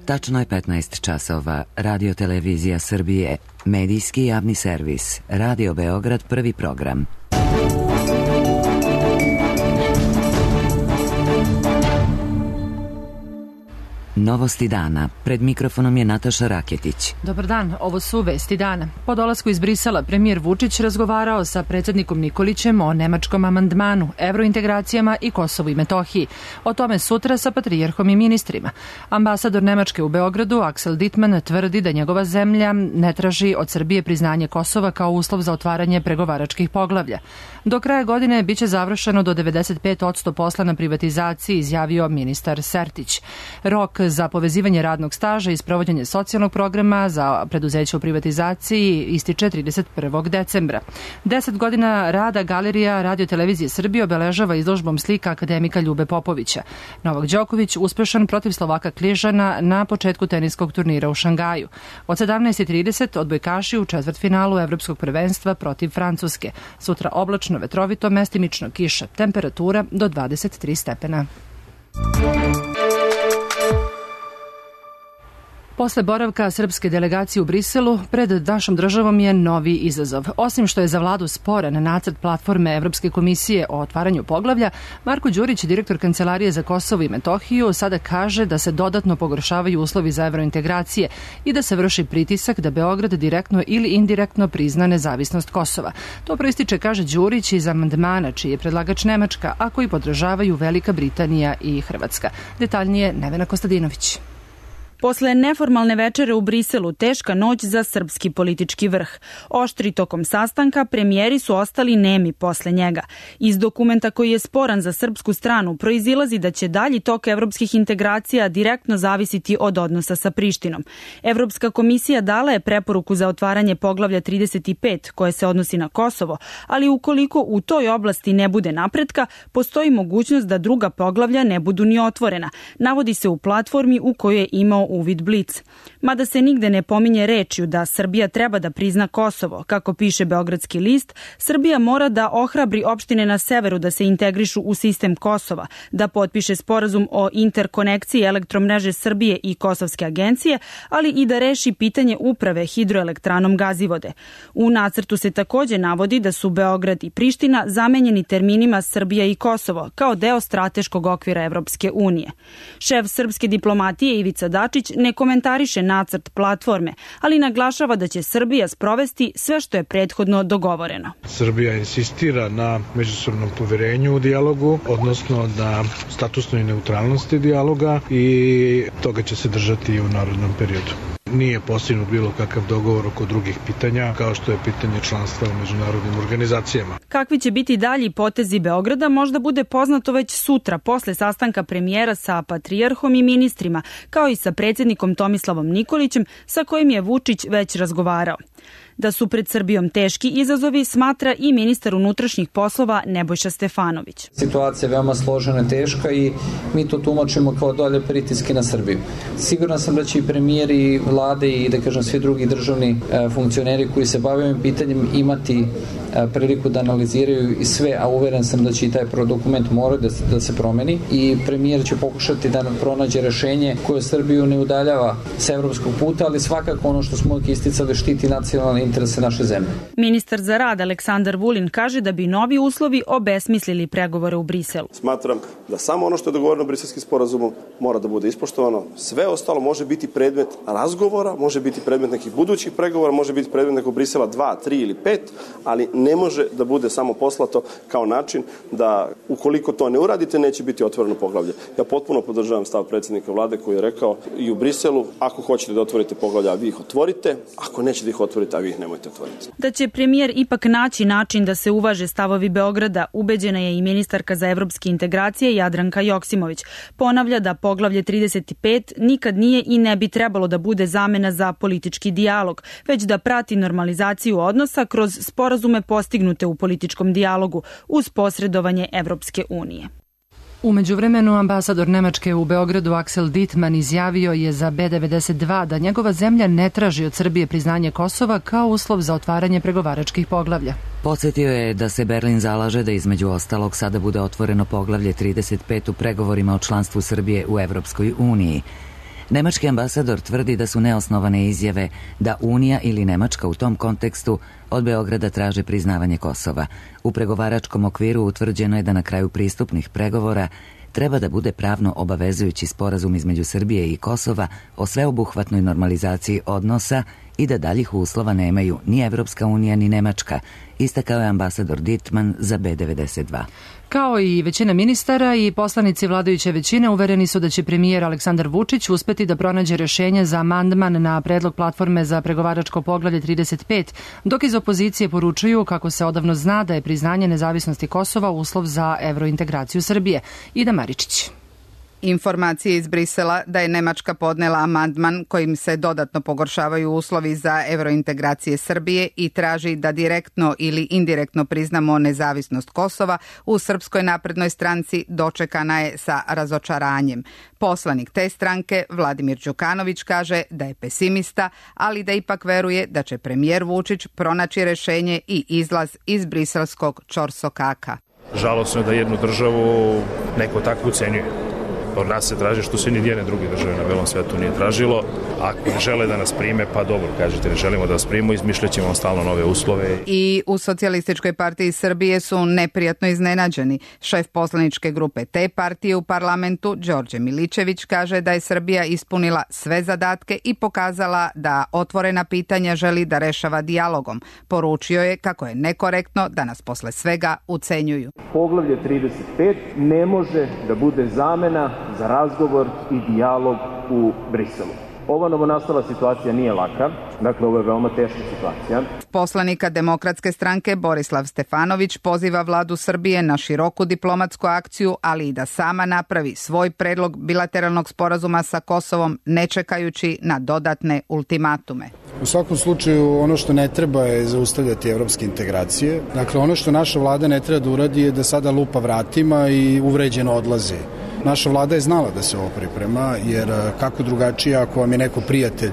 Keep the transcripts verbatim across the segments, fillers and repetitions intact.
Tačno je petnaest časova. Radio Televizija Srbije, medijski javni servis, Radio Beograd, prvi program. Novosti dana. Pred mikrofonom je Nataša Raketić. Dobar dan, ovo su vesti dana. Po dolasku iz Brisela premijer Vučić razgovarao sa predsjednikom Nikolićem o nemačkom amandmanu, evrointegracijama i Kosovu i Metohiji. O tome sutra sa patrijarhom i ministrima. Ambasador Nemačke u Beogradu, Axel Dittmann, tvrdi da njegova zemlja ne traži od Srbije priznanje Kosova kao uslov za otvaranje pregovaračkih poglavlja. Do kraja godine biće završeno do devedeset pet posto posla na privatizaciji, izjavio ministar Sertić. Rok za povezivanje radnog staža i sprovođenje socijalnog programa za preduzeće u privatizaciji ističe trideset prvog decembra. Deset godina rada Galerija Radio Televizije Srbije obeležava izložbom slika akademika Ljube Popovića. Novak Đoković uspešan protiv Slovaka Kližana na početku teniskog turnira u Šangaju. Od sedamnaest i trideset odbojkaši u četvrtfinalu Evropskog prvenstva protiv Francuske. Sutra oblačno, vetrovito, mestimično kiša. Temperatura do dvadeset tri stepena. Posle boravka srpske delegacije u Briselu, pred našom državom je novi izazov. Osim što je za vladu sporan nacrt platforme Evropske komisije o otvaranju poglavlja, Marko Đurić, direktor Kancelarije za Kosovo i Metohiju, sada kaže da se dodatno pogoršavaju uslovi za evrointegracije i da se vrši pritisak da Beograd direktno ili indirektno prizna nezavisnost Kosova. To proističe, kaže Đurić, iz amandmana čiji je predlagač Nemačka, a koji podržavaju Velika Britanija i Hrvatska. Detaljnije Nevena Kostadinović. Posle neformalne večere u Briselu, teška noć za srpski politički vrh. Oštri tokom sastanka, premijeri su ostali nemi posle njega. Iz dokumenta koji je sporan za srpsku stranu proizilazi da će dalji tok evropskih integracija direktno zavisiti od odnosa sa Prištinom. Evropska komisija dala je preporuku za otvaranje poglavlja trideset pet koje se odnosi na Kosovo, ali ukoliko u toj oblasti ne bude napretka, postoji mogućnost da druga poglavlja ne budu ni otvorena. Navodi se u platformi u kojoj je imao uvid Blic. Mada se nigde ne pominje rečju da Srbija treba da prizna Kosovo, kako piše Beogradski list, Srbija mora da ohrabri opštine na severu da se integrišu u sistem Kosova, da potpiše sporazum o interkonekciji elektromreže Srbije i Kosovske agencije, ali i da reši pitanje uprave hidroelektranom Gazivode. U nacrtu se takođe navodi da su Beograd i Priština zamenjeni terminima Srbija i Kosovo kao deo strateškog okvira Evropske unije. Šef srpske diplomatije Ivica Dačić ne komentariše nacrt platforme, ali naglašava da će Srbija sprovesti sve što je prethodno dogovoreno. Srbija insistira na međusobnom poverenju u dijalogu, odnosno na statusnoj neutralnosti dijaloga i toga će se držati i u narodnom periodu. Nije postignut bilo kakav dogovor oko drugih pitanja, kao što je pitanje članstva u međunarodnim organizacijama. Kakvi će biti dalji potezi Beograda možda bude poznato već sutra, posle sastanka premijera sa patrijarhom i ministrima, kao i sa predsjednikom Tomislavom Nikolićem, sa kojim je Vučić već razgovarao. Da su pred Srbijom teški izazovi, smatra i ministar unutrašnjih poslova Nebojša Stefanović. Situacija je veoma složena i teška i mi to tumačimo kao dolje pritiske na Srbiju. Siguran sam da će i premijer i vlade i da kažem svi drugi državni e, funkcioneri koji se bave ovim pitanjem imati e, priliku da analiziraju i sve, a uveren sam da će i taj dokument morati da, da se promeni i premijer će pokušati da pronađe rešenje koje Srbiju ne udaljava sa evropskog puta, ali svakako ono što smo isticali štiti nacionalni interese naše zemlje. Ministar za rad Aleksandar Vulin kaže da bi novi uslovi obesmislili pregovore u Briselu. Smatram da samo ono što je dogovoreno Briselskim sporazumom mora da bude ispoštovano. Sve ostalo može biti predmet razgovora, može biti predmet nekih budućih pregovora, može biti predmet nekog Brisela dva, tri ili pet, ali ne može da bude samo poslato kao način da ukoliko to ne uradite neće biti otvoreno poglavlje. Ja potpuno podržavam stav predsjednika vlade koji je rekao i u Briselu, ako hoćete da otvorite poglavlja, vi ih otvorite, ako nećete da ih otvorite, a vi ih nemojte otvoriti. Da će premijer ipak naći način da se uvaže stavovi Beograda, ubeđena je i ministarka za evropske integracije Jadranka Joksimović. Ponavlja da poglavlje trideset pet nikad nije i ne bi trebalo da bude zamena za politički dijalog, već da prati normalizaciju odnosa kroz sporazume postignute u političkom dijalogu uz posredovanje Evropske unije. U međuvremenu ambasador Nemačke u Beogradu Axel Dittmann izjavio je za B devedeset dva da njegova zemlja ne traži od Srbije priznanje Kosova kao uslov za otvaranje pregovaračkih poglavlja. Podsjetio je da se Berlin zalaže da između ostalog sada bude otvoreno poglavlje trideset pet u pregovorima o članstvu Srbije u Evropskoj uniji. Nemački ambasador tvrdi da su neosnovane izjave da Unija ili Nemačka u tom kontekstu od Beograda traže priznavanje Kosova. U pregovaračkom okviru utvrđeno je da na kraju pristupnih pregovora treba da bude pravno obavezujući sporazum između Srbije i Kosova o sveobuhvatnoj normalizaciji odnosa i da daljih uslova nemaju ni Evropska unija ni Nemačka, istakao je ambasador Dittmann za B devedeset dva. Kao i većina ministara i poslanici vladajuće većine uvereni su da će premijer Aleksandar Vučić uspeti da pronađe rješenje za amandman na predlog platforme za pregovaračko poglavlje trideset pet, dok iz opozicije poručuju kako se odavno zna da je priznanje nezavisnosti Kosova uslov za evrointegraciju Srbije. Ida Maričić. Informacije iz Brisela da je Nemačka podnela amandman kojim se dodatno pogoršavaju uslovi za evrointegracije Srbije i traži da direktno ili indirektno priznamo nezavisnost Kosova u Srpskoj naprednoj stranci dočekana je sa razočaranjem. Poslanik te stranke, Vladimir Đukanović, kaže da je pesimista, ali da ipak veruje da će premijer Vučić pronaći rješenje i izlaz iz briselskog ćorsokaka. Žalosno je da jednu državu neko tako ucenjuje. Od nas se traži što se ni jedne druge države na belom svetu nije tražilo. Ako ne žele da nas prime, pa dobro, kažete, ne želimo da nas primimo, izmišljat ćemo stalno nove uslove. I u Socijalističkoj partiji Srbije su neprijatno iznenađeni. Šef poslaničke grupe te partije u parlamentu, Đorđe Milićević, kaže da je Srbija ispunila sve zadatke i pokazala da otvorena pitanja želi da rešava dijalogom. Poručio je kako je nekorektno da nas posle svega ucenjuju. Poglavlje trideset pet ne može da bude zamena za razgovor i dijalog u Briselu. Ova novonastala situacija nije laka, dakle ovo je veoma teška situacija. Poslanika Demokratske stranke Borislav Stefanović poziva vladu Srbije na široku diplomatsku akciju, ali i da sama napravi svoj predlog bilateralnog sporazuma sa Kosovom, ne čekajući na dodatne ultimatume. U svakom slučaju ono što ne treba je zaustavljati evropske integracije. Dakle, ono što naša vlada ne treba da uradi je da sada lupa vratima i uvređeno odlaze. Naša vlada je znala da se ovo priprema, jer kako drugačije ako vam je neko prijatelj,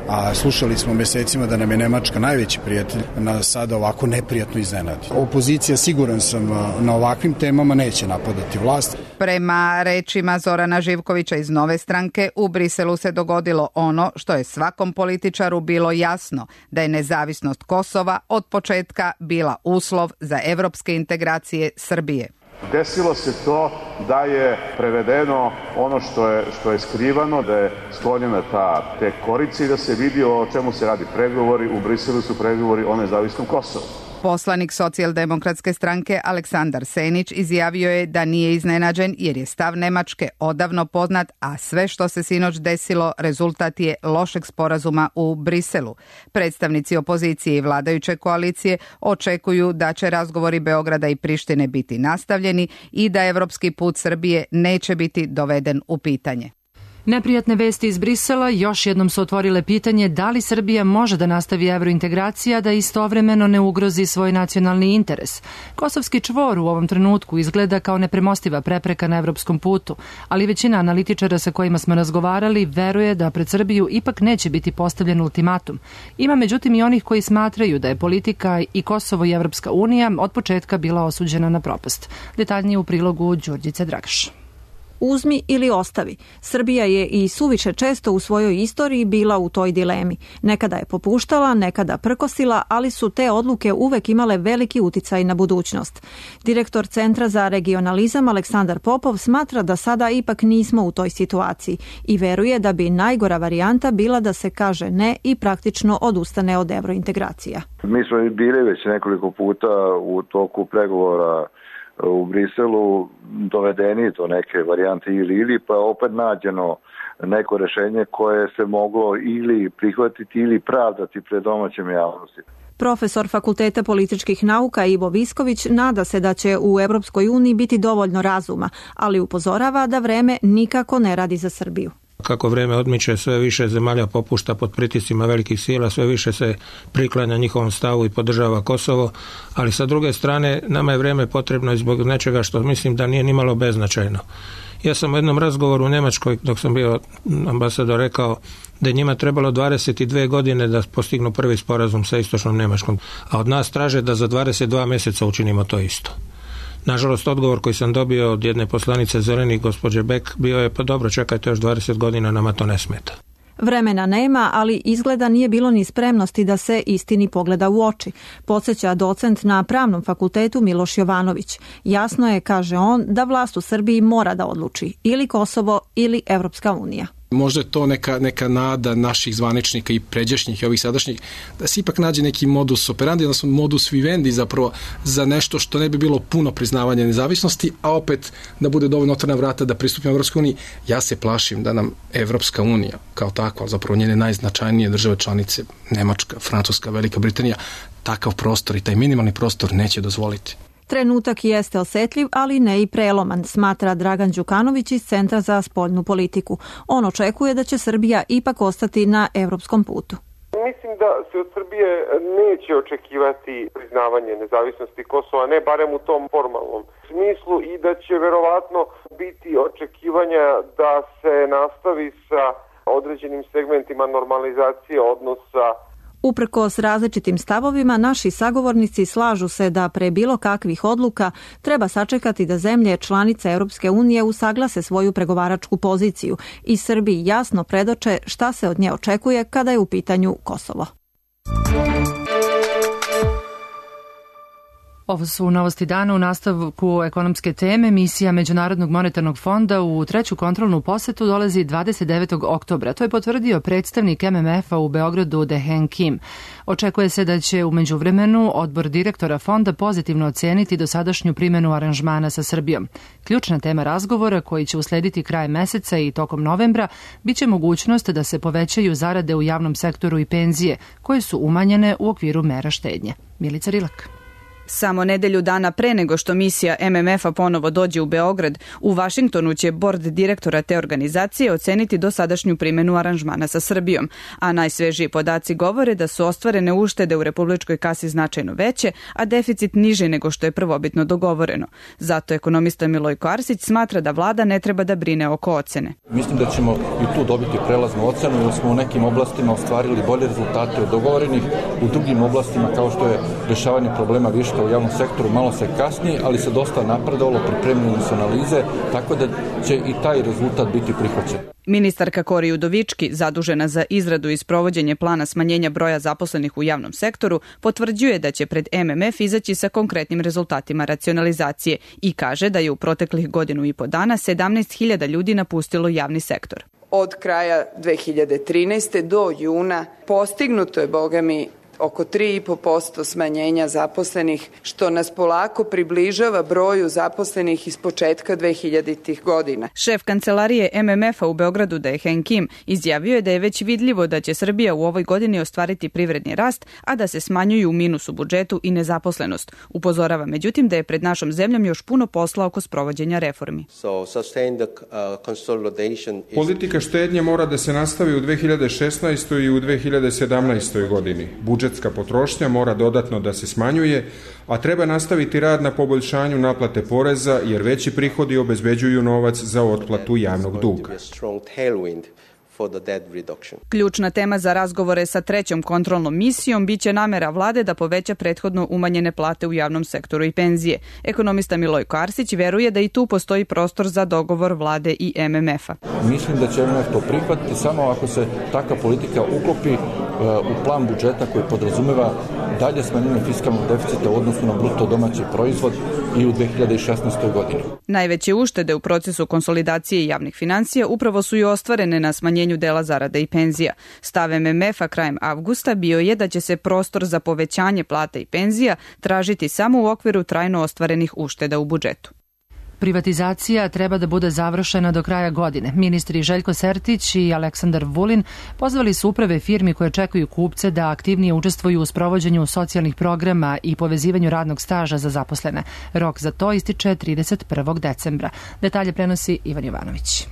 a slušali smo mesecima da nam je Nemačka najveći prijatelj, nas sada ovako neprijatno iznenadi. Opozicija, siguran sam, na ovakvim temama neće napadati vlast. Prema rečima Zorana Živkovića iz Nove stranke, u Briselu se dogodilo ono što je svakom političaru bilo jasno, da je nezavisnost Kosova od početka bila uslov za evropske integracije Srbije. Desilo se to da je prevedeno ono što je, što je skrivano, da je sklonjena ta te korice i da se vidi o čemu se radi pregovori. U Briselu su pregovori o nezavisnom Kosovu. Poslanik Socijaldemokratske stranke Aleksandar Senić izjavio je da nije iznenađen jer je stav Nemačke odavno poznat, a sve što se sinoć desilo rezultat je lošeg sporazuma u Briselu. Predstavnici opozicije i vladajuće koalicije očekuju da će razgovori Beograda i Prištine biti nastavljeni i da evropski put Srbije neće biti doveden u pitanje. Neprijatne vesti iz Brisela još jednom su otvorile pitanje da li Srbija može da nastavi evrointegracija, da istovremeno ne ugrozi svoj nacionalni interes. Kosovski čvor u ovom trenutku izgleda kao nepremostiva prepreka na evropskom putu, ali većina analitičara sa kojima smo razgovarali veruje da pred Srbiju ipak neće biti postavljen ultimatum. Ima međutim i onih koji smatraju da je politika i Kosovo i Evropska unija od početka bila osuđena na propast. Detaljnije u prilogu Đurđice Dragaš. Uzmi ili ostavi. Srbija je i suviše često u svojoj istoriji bila u toj dilemi. Nekada je popuštala, nekada prkosila, ali su te odluke uvek imale veliki uticaj na budućnost. Direktor Centra za regionalizam Aleksandar Popov smatra da sada ipak nismo u toj situaciji i veruje da bi najgora varijanta bila da se kaže ne i praktično odustane od evrointegracija. Mi smo bili već nekoliko puta u toku pregovora u Briselu dovedeni do neke varijante ili ili, pa opet nađeno neko rešenje koje se moglo ili prihvatiti ili pravdati pred domaćem javnosti. Profesor Fakulteta političkih nauka Ivo Visković nada se da će u Evropskoj uniji biti dovoljno razuma, ali upozorava da vreme nikako ne radi za Srbiju. Kako vreme odmiče, sve više zemalja popušta pod pritiscima velikih sila, sve više se priklanja njihovom stavu i podržava Kosovo, ali sa druge strane nama je vreme potrebno zbog nečega što mislim da nije nimalo beznačajno. Ja sam u jednom razgovoru u Nemačkoj, dok sam bio ambasador, rekao da je njima trebalo dvadeset dve godine da postignu prvi sporazum sa istočnom Nemačkom, a od nas traže da za dvadeset dva mjeseca učinimo to isto. Nažalost, odgovor koji sam dobio od jedne poslanice Zelenih, gospođe Bek, bio je pa dobro, čekajte još dvadeset godina, nama to ne smeta. Vremena nema, ali izgleda nije bilo ni spremnosti da se istini pogleda u oči, podsjeća docent na Pravnom fakultetu Miloš Jovanović. Jasno je, kaže on, da vlast u Srbiji mora da odluči ili Kosovo ili Evropska unija. Možda je to neka, neka nada naših zvaničnika i pređašnjih i ovih sadašnjih, da se ipak nađe neki modus operandi, odnosno modus vivendi zapravo za nešto što ne bi bilo puno priznavanja nezavisnosti, a opet da bude dovoljno otvorena vrata da pristupimo Evropskoj uniji. Ja se plašim da nam Evropska unija kao takva, zapravo njene najznačajnije države članice, Nemačka, Francuska, Velika Britanija, takav prostor i taj minimalni prostor neće dozvoliti. Trenutak jeste osetljiv, ali ne i preloman, smatra Dragan Đukanović iz Centra za spoljnu politiku. On očekuje da će Srbija ipak ostati na evropskom putu. Mislim da se od Srbije neće očekivati priznavanje nezavisnosti Kosova, ne barem u tom formalnom smislu, i da će verovatno biti očekivanja da se nastavi sa određenim segmentima normalizacije odnosa. Uprkos različitim stavovima, naši sagovornici slažu se da pre bilo kakvih odluka treba sačekati da zemlje članice Europske unije usaglase svoju pregovaračku poziciju i Srbiji jasno predoče šta se od nje očekuje kada je u pitanju Kosovo. Ovo su novosti dana. U nastavku ekonomske teme. Misija Međunarodnog monetarnog fonda u treću kontrolnu posetu dolazi dvadeset devetog oktobra. To je potvrdio predstavnik M M F-a u Beogradu Dehen Kim. Očekuje se da će u međuvremenu odbor direktora fonda pozitivno oceniti dosadašnju primjenu aranžmana sa Srbijom. Ključna tema razgovora, koji će uslediti krajem meseca i tokom novembra, biće mogućnost da se povećaju zarade u javnom sektoru i penzije, koje su umanjene u okviru mera štednje. Milica Rilak. Samo nedelju dana pre nego što misija M M F-a ponovo dođe u Beograd, u Vašingtonu će bord direktora te organizacije oceniti dosadašnju primjenu aranžmana sa Srbijom, a najsvežiji podaci govore da su ostvarene uštede u republičkoj kasi značajno veće, a deficit niži nego što je prvobitno dogovoreno. Zato ekonomista Milojko Arsić smatra da vlada ne treba da brine oko ocene. Mislim da ćemo i tu dobiti prelaznu ocenu, jer smo u nekim oblastima ostvarili bolje rezultate od dogovorenih, u drugim oblastima kao što je rešavanje problema viška u javnom sektoru malo se kasni, ali se dosta napredovalo, pripremljene su analize, tako da će i taj rezultat biti prihvaćen. Ministarka Kori Udovički, zadužena za izradu i sprovođenje plana smanjenja broja zaposlenih u javnom sektoru, potvrđuje da će pred M M F izaći sa konkretnim rezultatima racionalizacije i kaže da je u proteklih godinu i po dana sedamnaest hiljada ljudi napustilo javni sektor. Od kraja dve hiljade trinaeste. do juna postignuto je, boga mi, oko tri i po posto smanjenja zaposlenih, što nas polako približava broju zaposlenih iz početka dvehiljaditih godina. Šef kancelarije M M F-a u Beogradu Dehen Kim izjavio je da je već vidljivo da će Srbija u ovoj godini ostvariti privredni rast, a da se smanjuju minus u budžetu i nezaposlenost. Upozorava međutim da je pred našom zemljom još puno posla oko sprovođenja reformi. Politika štednje mora da se nastavi u dve hiljade šesnaestoj. i u dve hiljade sedamnaestoj. godini. Budžet Budžetska potrošnja mora dodatno da se smanjuje, a treba nastaviti rad na poboljšanju naplate poreza, jer veći prihodi obezbeđuju novac za otplatu javnog duga. Ključna tema za razgovore sa trećom kontrolnom misijom biće namera vlade da poveća prethodno umanjene plate u javnom sektoru i penzije. Ekonomista Milojko Arsić veruje da i tu postoji prostor za dogovor vlade i M M F-a. Mislim da će M M F to prihvatiti samo ako se takva politika uklopi u plan budžeta koji podrazumeva dalje smanjenje fiskalnog deficita u odnosu na bruto domaći proizvod i u dve hiljade šesnaestoj. godini. Najveće uštede u procesu konsolidacije javnih finansija upravo su i ostvarene na smanjenju dela zarada i penzija. Stav M M F-a krajem avgusta bio je da će se prostor za povećanje plata i penzija tražiti samo u okviru trajno ostvarenih ušteda u budžetu. Privatizacija treba da bude završena do kraja godine. Ministri Željko Sertić i Aleksandar Vulin pozvali su uprave firmi koje čekaju kupce da aktivnije učestvuju u sprovođenju socijalnih programa i povezivanju radnog staža za zaposlene. Rok za to ističe trideset prvog decembra. Detalje prenosi Ivan Jovanović.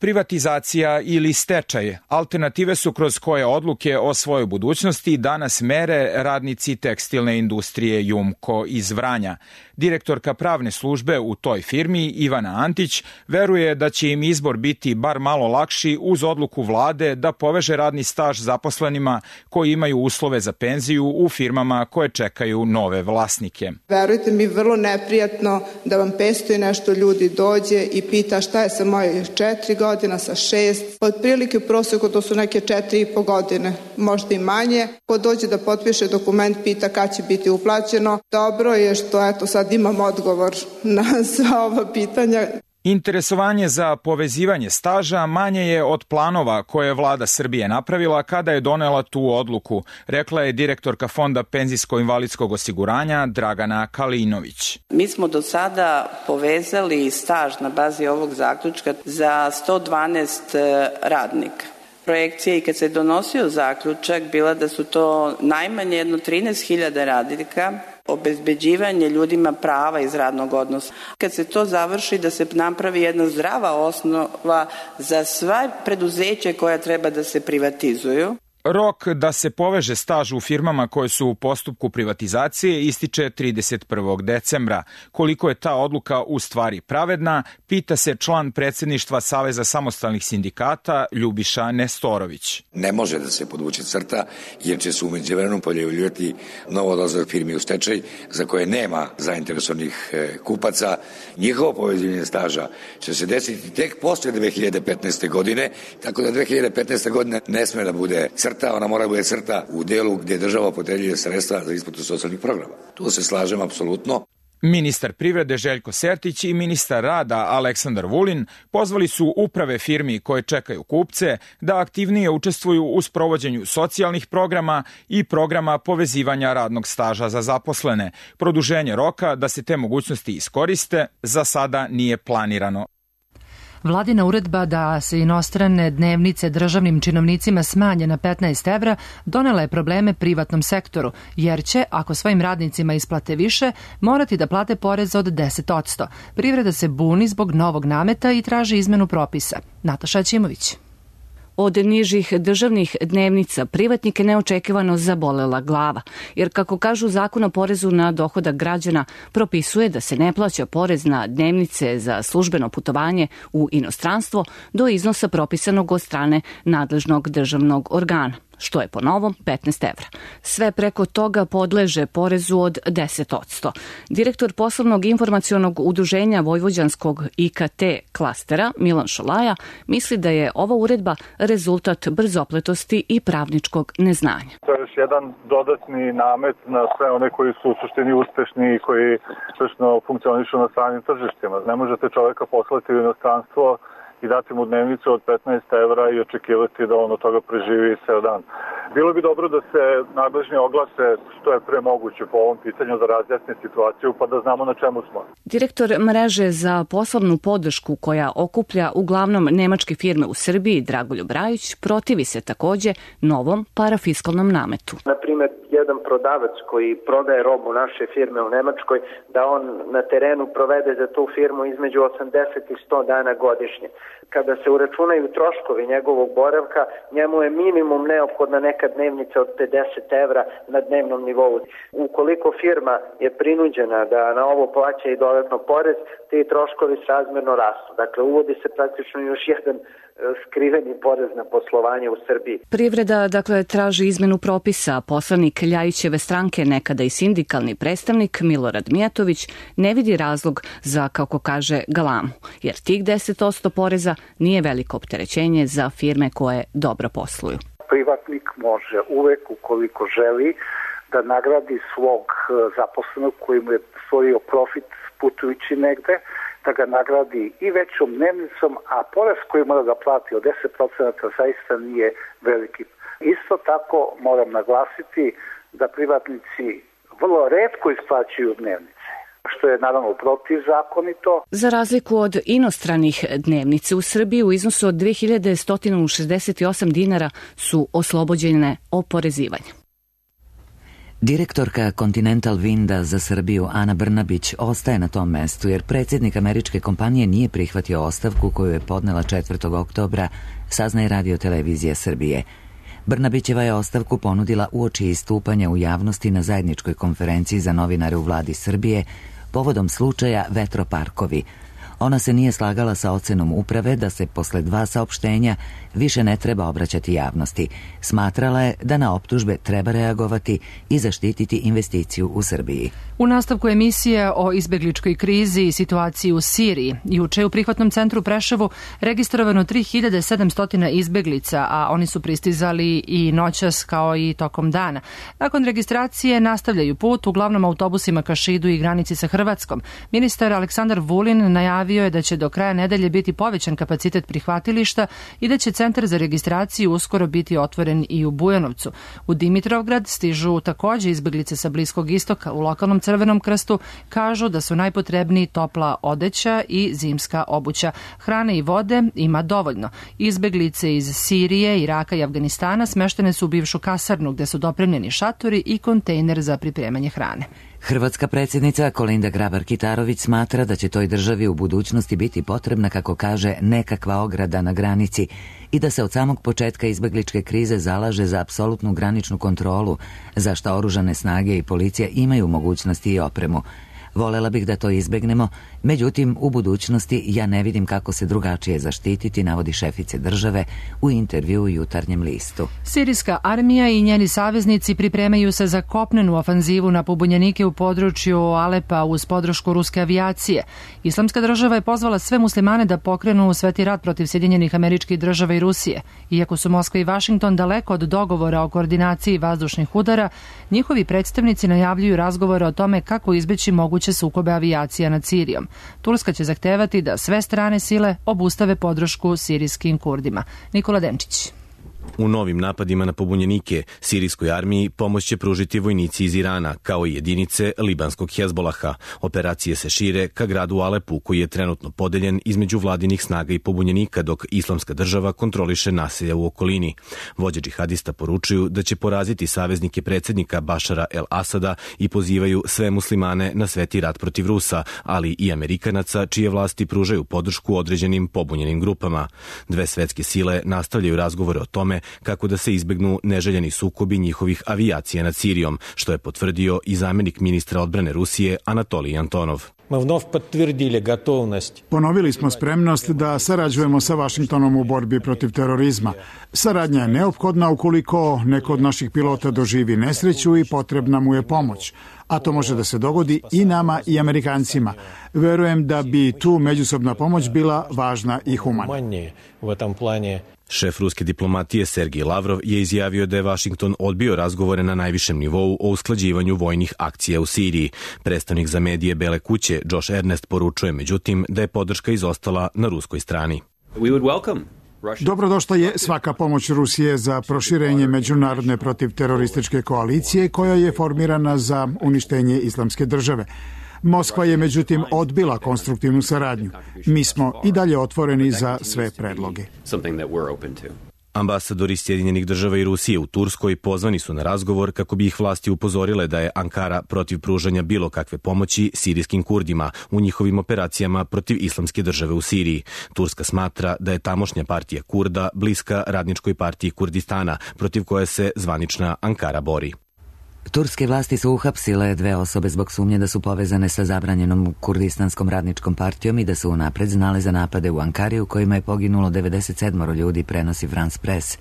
Privatizacija ili stečaj, alternative su kroz koje odluke o svojoj budućnosti danas mere radnici tekstilne industrije Jumko iz Vranja. Direktorka pravne službe u toj firmi, Ivana Antić, veruje da će im izbor biti bar malo lakši uz odluku vlade da poveže radni staž zaposlenima koji imaju uslove za penziju u firmama koje čekaju nove vlasnike. Verujte mi, vrlo neprijatno da vam petsto i nešto ljudi dođe i pita šta je sa moje četiri godine, sa šest. Otprilike u proseku to su neke četiri i po godine, možda i manje. Ko dođe da potpiše dokument pita kad će biti uplaćeno. Dobro je što eto sad imam odgovor na sva ova pitanja. Interesovanje za povezivanje staža manje je od planova koje je vlada Srbije napravila kada je donela tu odluku, rekla je direktorka Fonda penzijsko-invalidskog osiguranja Dragana Kalinović. Mi smo do sada povezali staž na bazi ovog zaključka za sto dvanaest radnika. Projekcija i kad se donosio zaključak bila da su to najmanje jedno trinaest hiljada radnika, obezbeđivanje ljudima prava iz radnog odnosa. Kad se to završi, da se napravi jedna zdrava osnova za sva preduzeća koja treba da se privatizuju. Rok da se poveže staž u firmama koje su u postupku privatizacije ističe trideset prvog decembra. Koliko je ta odluka u stvari pravedna, pita se član predsjedništva Saveza samostalnih sindikata Ljubiša Nestorović. Ne može da se podvuče crta jer će se u međuvremenu pojavljivati novo odlazak firmi u stečaj za koje nema zainteresovanih kupaca. Njihovo povezivanje staža će se desiti tek posle dve hiljade petnaeste. godine, tako da dve hiljade petnaeste. godine ne sme da bude crta. Ona mora bude crta u delu gdje država opredjeljuje sredstva za isplatu socijalnih programa. Tu se slažem apsolutno. Ministar privrede Željko Sertić i ministar rada Aleksandar Vulin pozvali su uprave firmi koje čekaju kupce da aktivnije učestvuju u sprovođenju socijalnih programa i programa povezivanja radnog staža za zaposlene. Produženje roka da se te mogućnosti iskoriste za sada nije planirano. Vladina uredba da se inostrane dnevnice državnim činovnicima smanje na petnaest evra donela je probleme privatnom sektoru, jer će, ako svojim radnicima isplate više, morati da plate porez od deset posto. Privreda se buni zbog novog nameta i traži izmenu propisa. Nataša Ćimović. Od nižih državnih dnevnica privatnike neočekivano zabolela glava, jer kako kažu Zakon o porezu na dohodak građana propisuje da se ne plaća porez na dnevnice za službeno putovanje u inostranstvo do iznosa propisanog od strane nadležnog državnog organa, što je po novom petnaest evra. Sve preko toga podleže porezu od deset posto. Direktor poslovnog informacionog udruženja Vojvođanskog I K T klastera Milan Šolaja misli da je ova uredba rezultat brzopletosti i pravničkog neznanja. To je još jedan dodatni namet na sve one koji su u suštini uspešni i koji uspešno funkcionišu na stranim tržištima. Ne možete čoveka poslati u inostranstvo i dati mu dnevnicu od petnaest evra i očekivati da on od toga preživi ceo dan. Bilo bi dobro da se nadležni oglase što je pre moguće po ovom pitanju da razjasne situaciju pa da znamo na čemu smo. Direktor mreže za poslovnu podršku koja okuplja uglavnom nemačke firme u Srbiji, Dragoljub Rajić, protivi se takođe novom parafiskalnom nametu. Na primjer, jedan prodavac koji prodaje robu naše firme u Nemačkoj, da on na terenu provede za tu firmu između osamdeset i sto dana godišnje. Kada se uračunaju troškovi njegovog boravka, njemu je minimum neophodna neka dnevnica od pedeset evra na dnevnom nivou. Ukoliko firma je prinuđena da na ovo plaća i dodatno porez, ti troškovi srazmerno rastu. Dakle, uvodi se praktično još jedan skriveni porez na poslovanje u Srbiji. Privreda, dakle, traži izmenu propisa. Poslanik Ljajićeve stranke, nekada i sindikalni predstavnik Milorad Mijatović, ne vidi razlog za, kako kaže, galamu, jer tih deset posto poreza nije veliko opterećenje za firme koje dobro posluju. Privatnik može uvek, ukoliko želi, da nagradi svog zaposlenog koji mu je stvorio profit putujući negde, da ga nagradi i većom dnevnicom, a porez koji mora da plati od deset posto zaista nije veliki. Isto tako moram naglasiti da privatnici vrlo retko isplaćuju dnevnice, što je naravno protivzakonito. Za razliku od inostranih, dnevnice u Srbiji u iznosu od dve hiljade sto šezdeset osam dinara su oslobođene oporezivanja. Direktorka Continental Winda za Srbiju Ana Brnabić ostaje na tom mestu jer predsjednik američke kompanije nije prihvatio ostavku koju je podnela četvrtog oktobra, saznaje Radio televizija Srbije. Brnabićeva je ostavku ponudila uoči istupanja u javnosti na zajedničkoj konferenciji za novinare u vladi Srbije povodom slučaja Vetroparkovi. Ona se nije slagala sa ocenom uprave da se posle dva saopštenja više ne treba obraćati javnosti. Smatrala je da na optužbe treba reagovati i zaštititi investiciju u Srbiji. U nastavku emisije o izbegličkoj krizi i situaciji u Siriji, juče u prihvatnom centru u Preševu registrovano tri hiljade sedamsto izbeglica, a oni su pristizali i noćas kao i tokom dana. Nakon registracije nastavljaju put uglavnom autobusima ka Šidu i granici sa Hrvatskom. Ministar Aleksandar Vulin najavio je da će do kraja nedelje biti povećan kapacitet prihvatilišta i da će centar za registraciju uskoro biti otvoren i u Bujanovcu. U Dimitrovgrad stižu takođe izbeglice sa Bliskog istoka. U lokalnom Crvenom krstu kažu da su najpotrebniji topla odeća i zimska obuća. Hrane i vode ima dovoljno. Izbeglice iz Sirije, Iraka i Afganistana smeštene su u bivšu kasarnu gde su dopremljeni šatori i kontejner za pripremanje hrane. Hrvatska predsjednica Kolinda Grabar-Kitarović smatra da će toj državi u budućnosti biti potrebna, kako kaže, nekakva ograda na granici i da se od samog početka izbegličke krize zalaže za apsolutnu graničnu kontrolu, za što oružane snage i policija imaju mogućnosti i opremu. Volela bih da to izbegnemo, međutim, u budućnosti ja ne vidim kako se drugačije zaštititi, navodi šefice države u intervju u Jutarnjem listu. Sirijska armija i njeni saveznici pripremaju se za kopnenu ofanzivu na pobunjenike u području Alepa uz podršku ruske avijacije. Islamska država je pozvala sve muslimane da pokrenu sveti rat protiv Sjedinjenih Američkih Država i Rusije. Iako su Moskva i Vašington daleko od dogovora o koordinaciji vazdušnih udara, njihovi predstavnici najavljuju razgovore o tome kako izbeći moguće sukobe avijacija nad Sirijom. Turska će zahtevati da sve strane sile obustave podršku sirijskim Kurdima. Nikola Denčić. U novim napadima na pobunjenike sirijskoj armiji pomoć će pružiti vojnici iz Irana, kao i jedinice libanskog Hezbolaha. Operacije se šire ka gradu Alepu, koji je trenutno podeljen između vladinih snaga i pobunjenika, dok Islamska država kontroliše naselja u okolini. Vođe džihadista poručuju da će poraziti saveznike predsjednika Bašara el-Asada i pozivaju sve muslimane na sveti rat protiv Rusa, ali i Amerikanaca, čije vlasti pružaju podršku određenim pobunjenim grupama. Dve svetske sile nastavljaju razgovore o tome kako da se izbegnu neželjeni sukobi njihovih avijacija nad Sirijom, što je potvrdio i zamjenik ministra odbrane Rusije Anatolij Antonov. Ponovili smo spremnost da sarađujemo sa Vašingtonom u borbi protiv terorizma. Saradnja je neophodna ukoliko neko od naših pilota doživi nesreću i potrebna mu je pomoć. A to može da se dogodi i nama i Amerikancima. Verujem da bi tu međusobna pomoć bila važna i humana. Šef ruske diplomatije Sergij Lavrov je izjavio da je Vašington odbio razgovore na najvišem nivou o usklađivanju vojnih akcija u Siriji. Predstavnik za medije Bele kuće Josh Ernest poručuje međutim da je podrška izostala na ruskoj strani. Dobrodošla je svaka pomoć Rusije za proširenje međunarodne protivterorističke koalicije koja je formirana za uništenje Islamske države. Moskva je međutim odbila konstruktivnu saradnju. Mi smo i dalje otvoreni za sve predloge. Ambasadori Sjedinjenih država i Rusije u Turskoj pozvani su na razgovor kako bi ih vlasti upozorile da je Ankara protiv pružanja bilo kakve pomoći sirijskim Kurdima u njihovim operacijama protiv Islamske države u Siriji. Turska smatra da je tamošnja partija Kurda bliska radničkoj partiji Kurdistana, protiv koje se zvanična Ankara bori. Turske vlasti su uhapsile dve osobe zbog sumnje da su povezane sa zabranjenom Kurdistanskom radničkom partijom i da su unapred znale za napade u Ankari u kojima je poginulo devedeset sedam ljudi, prenosi France Press.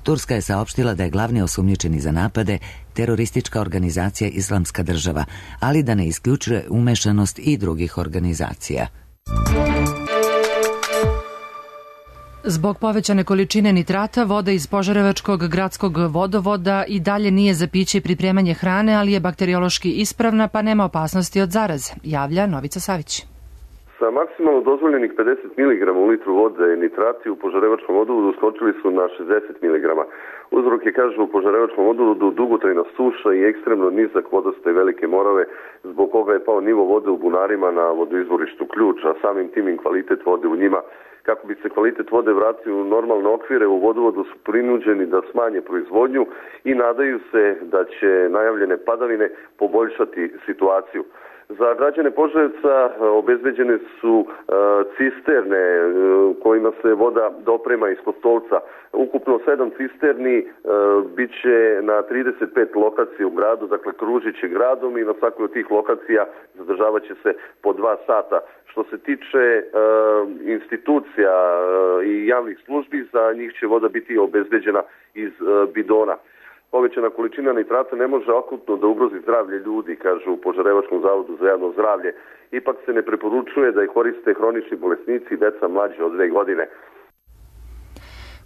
Turska je saopštila da je glavni osumnjičeni za napade teroristička organizacija Islamska država, ali da ne isključuje umešanost i drugih organizacija. Zbog povećane količine nitrata, voda iz Požarevačkog gradskog vodovoda i dalje nije za piće i pripremanje hrane, ali je bakteriološki ispravna pa nema opasnosti od zaraze, javlja Novica Savić. Sa maksimalno dozvoljenih pedeset miligrama u litru vode nitrati u požarevačkom vodovodu skočili su na šezdeset miligrama. Uzrok je, kažu, u požarevačkom vodovodu dugotrajna suša i ekstremno nizak vodostaj Velike Morave, zbog koga je pao nivo vode u bunarima na vodoizvorištu Ključ, a samim tim i kvalitet vode u njima. Kako bi se kvalitet vode vratio u normalne okvire, u vodovodu su prinuđeni da smanje proizvodnju i nadaju se da će najavljene padavine poboljšati situaciju. Za građane Požarevca obezbeđene su uh, cisterne uh, kojima se voda doprema iz Kostolca. Ukupno sedam cisterni uh, bit će na trideset pet lokacija u gradu, dakle kružit će gradom i na svakoj od tih lokacija zadržavat će se po dva sata. Što se tiče uh, institucija uh, i javnih službi, za njih će voda biti obezbeđena iz uh, bidona. Povećana količina nitrata ne može akutno da ugrozi zdravlje ljudi, kažu u Požarevačkom zavodu za javno zdravlje. Ipak se ne preporučuje da je koriste hronični bolesnici i deca mlađe od dve godine.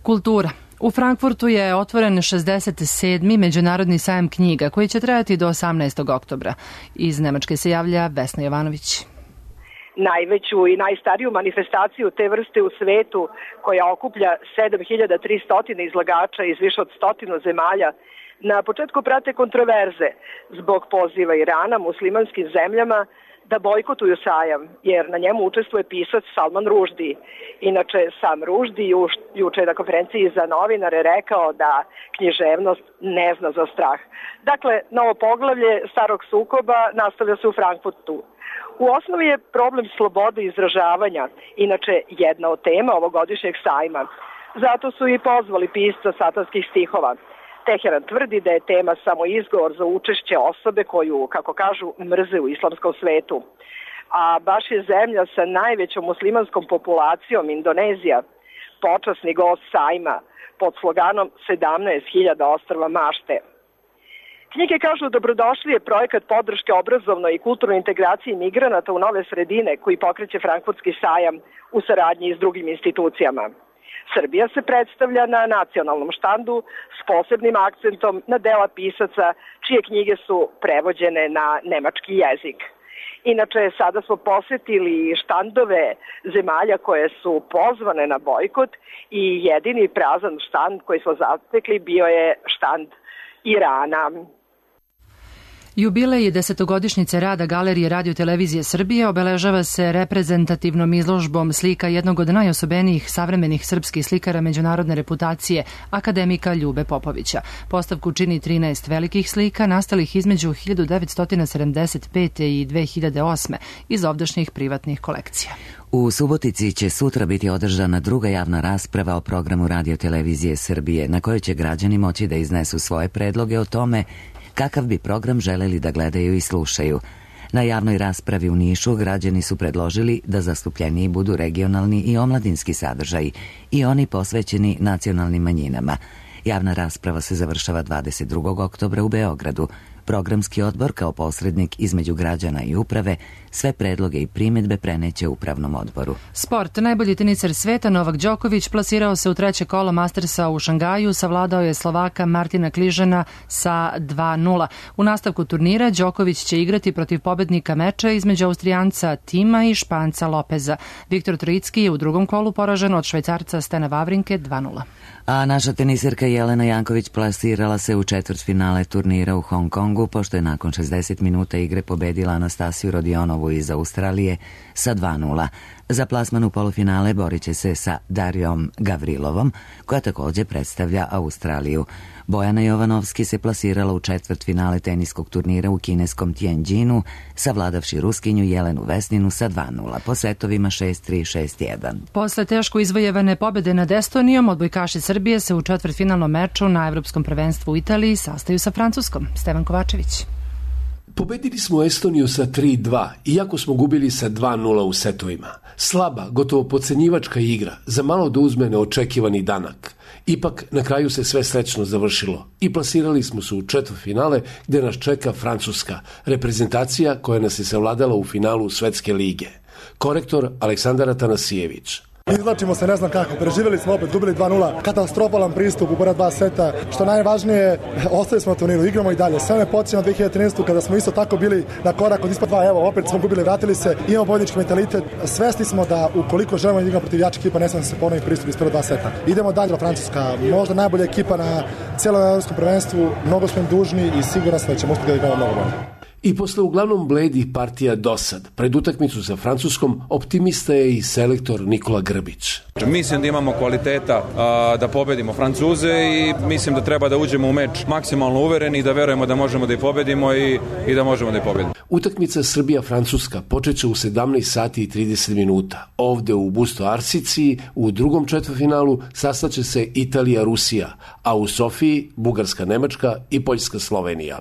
Kultura. U Frankfurtu je otvoren šezdeset sedmi Međunarodni sajam knjiga koji će trajati do osamnaestog oktobra. Iz Nemačke se javlja Vesna Jovanović. Najveću i najstariju manifestaciju te vrste u svetu, koja okuplja sedam hiljada tristo izlagača iz više od stotinu zemalja, na početku prate kontroverze zbog poziva Irana muslimanskim zemljama da bojkotuju sajam, jer na njemu učestvuje pisac Salman Rushdie. Inače, sam Rushdie juče na konferenciji za novinare rekao da književnost ne zna za strah. Dakle, novo poglavlje starog sukoba nastavlja se u Frankfurtu. U osnovi je problem slobode izražavanja, inače jedna od tema ovogodišnjeg sajma. Zato su i pozvali pisca satanskih stihova. Teheran tvrdi da je tema samo izgovor za učešće osobe koju, kako kažu, mrze u islamskom svetu. A baš je zemlja sa najvećom muslimanskom populacijom, Indonezija, počasni gost sajma pod sloganom sedamnaest hiljada ostrva mašte. Knjige kažu dobrodošli je projekat podrške obrazovnoj i kulturnoj integraciji migranata u nove sredine koji pokreće Frankfurtski sajam u saradnji s drugim institucijama. Srbija se predstavlja na nacionalnom štandu s posebnim akcentom na dela pisaca čije knjige su prevođene na nemački jezik. Inače, sada smo posetili štandove zemalja koje su pozvane na bojkot i jedini prazan štand koji smo zatekli bio je štand Irana. Jubilej desetogodišnjice rada Galerije Radio Televizije Srbije obeležava se reprezentativnom izložbom slika jednog od najosobenijih savremenih srpskih slikara međunarodne reputacije, akademika Ljube Popovića. Postavku čini trinaest velikih slika nastalih između hiljadu devetsto sedamdeset pete i dve hiljade osme iz ovdašnjih privatnih kolekcija. U Subotici će sutra biti održana druga javna rasprava o programu Radio Televizije Srbije, na kojoj će građani moći da iznesu svoje predloge o tome kakav bi program želeli da gledaju i slušaju. Na javnoj raspravi u Nišu građani su predložili da zastupljeniji budu regionalni i omladinski sadržaji i oni posvećeni nacionalnim manjinama. Javna rasprava se završava dvadeset drugog oktobra u Beogradu. Programski odbor kao posrednik između građana i uprave sve predloge i primjedbe preneće upravnom odboru. Sport. Najbolji teniser sveta Novak Đoković plasirao se u treće kolo Mastersa u Šangaju, savladao je Slovaka Martina Kližana sa dva nula. U nastavku turnira Đoković će igrati protiv pobednika meča između Austrijanca Tima i Španca Lopeza. Viktor Trojicki je u drugom kolu poražen od Švajcarca Stena Vavrinke dva nula. A naša teniserka Jelena Janković plasirala se u četvrtfinale turnira u Hong Kongu, pošto je nakon šezdeset minuta igre pobedila Anastasiju Rodionovu iz Australije sa dva nula. Za plasman u polufinale borit će se sa Darijom Gavrilovom, koja također predstavlja Australiju. Bojana Jovanovski se plasirala u četvrtfinale teniskog turnira u kineskom Tianjinu, savladavši Ruskinju Jelenu Vesninu sa dva nula, po setovima šest tri šest jedan. Posle teško izvojevane pobede nad Estonijom, odbojkaši Srbije se u četvrtfinalnom meču na Evropskom prvenstvu u Italiji sastaju sa Francuskom. Stevan Kovačević. Pobedili smo Estoniju sa tri dva, iako smo gubili sa dva nula u setovima. Slaba, gotovo podcenjivačka igra, za malo da uzme neočekivani danak. Ipak, na kraju se sve srećno završilo i plasirali smo se u četvrtfinale gde nas čeka Francuska, reprezentacija koja nas je savladala u finalu Svetske lige. Korektor Aleksandar Atanasijević. Izvlačimo se ne znam kako, preživjeli smo opet, gubili dva nula, katastrofalan pristup u prva dva seta, što najvažnije, ostali smo na turniru, igramo i dalje. Sve me podsjeća na dve hiljade trinaestu kada smo isto tako bili na korak od ispod dva, evo, opet smo gubili, vratili se, imamo pobjednički mentalitet, svesni smo da ukoliko želimo da igramo protiv jačih ekipa, ne smije da se ponovi pristup iz prva dva seta. Idemo dalje, Francuska, možda najbolja ekipa na cijelom evropskom prvenstvu, mnogo smo im dužni i siguran sam da ćemo uspjeti da igramo mnogo bolje. I posle uglavnom bledih partija dosad, pred utakmicu sa Francuskom, optimista je i selektor Nikola Grbić. Mislim da imamo kvaliteta a, da pobedimo Francuze i mislim da treba da uđemo u meč maksimalno uvereni i da verujemo da možemo da ih pobedimo i, i da možemo da ih pobedimo. Utakmica Srbija-Francuska počeće u sedamnaest sati i trideset minuta. Ovde u Busto Arsici u drugom četvrtfinalu sastaće se Italija-Rusija, a u Sofiji Bugarska-Nemačka i Poljska-Slovenija.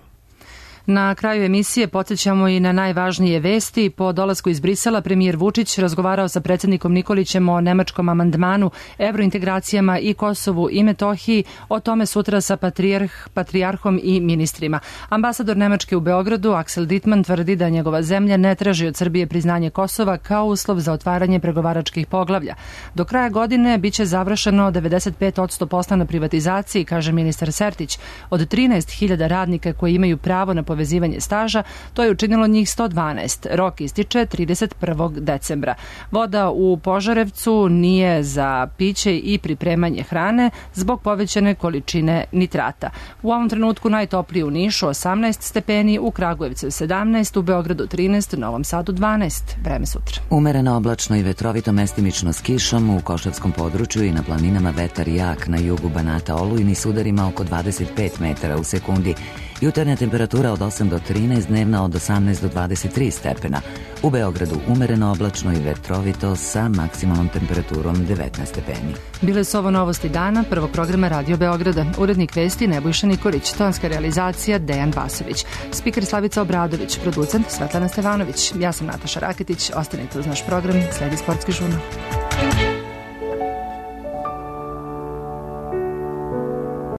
Na kraju emisije podsjećamo i na najvažnije vesti. Po dolasku iz Brisela premijer Vučić razgovarao sa predsjednikom Nikolićem o nemačkom amandmanu, evrointegracijama i Kosovu i Metohiji, o tome sutra sa patrijarh, patrijarhom i ministrima. Ambasador Nemačke u Beogradu, Axel Dittmann, tvrdi da njegova zemlja ne traži od Srbije priznanje Kosova kao uslov za otvaranje pregovaračkih poglavlja. Do kraja godine biće završeno devedeset pet posto posla na privatizaciji, kaže ministar Sertić. Od trinaest hiljada radnika koji imaju pravo na povezivanje staža, to je učinilo njih sto dvanaest. Rok ističe trideset prvog decembra. Voda u Požarevcu nije za piće i pripremanje hrane zbog povećane količine nitrata. U ovom trenutku najtoplije u Nišu osamnaest stepeni, u Kragujevcu sedamnaest, u Beogradu trinaest, u Novom Sadu dvanaest. Vreme sutra. Umereno oblačno i vetrovito, mestimično s kišom, u Košavskom području i na planinama vetar jak, na jugu Banata olujni s udarima oko dvadeset pet metara u sekundi. Jutarnja temperatura od osam do trinaest, dnevna od osamnaest do dvadeset tri stepena. U Beogradu umereno oblačno i vetrovito sa maksimalnom temperaturom devetnaest stepeni. Bile su ovo novosti dana prvog programa Radio Beograda. Urednik vesti Nebojša Nikolić, tonska realizacija Dejan Basović, spiker Slavica Obradović, producent Svetlana Stevanović. Ja sam Nataša Raketić, ostanite uz naš program, sledi sportski žurnal.